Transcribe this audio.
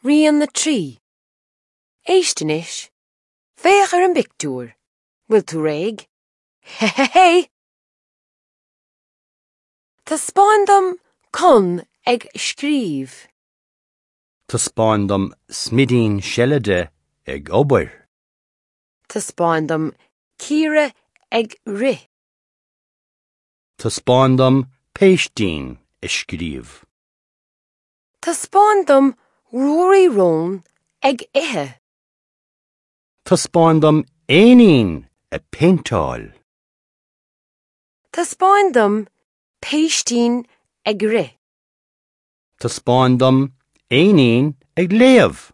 Rian 3. Éist anois. Féach ar an bpictiúr. Bhfuil tú réidh? Hé! Taispeáin dom Con ag scríobh. Taispeáin dom smidín seilide ag obair. Taispeáin dom Ciara ag rith. Taispeáin dom péistín ag scríobh. Taispeáin dom Ruairí Rón ag ithe. Taispeáin dom éinín ag péinteáil. Taispeáin dom péistín ag rith. Taispeáin dom éinín ag léamh.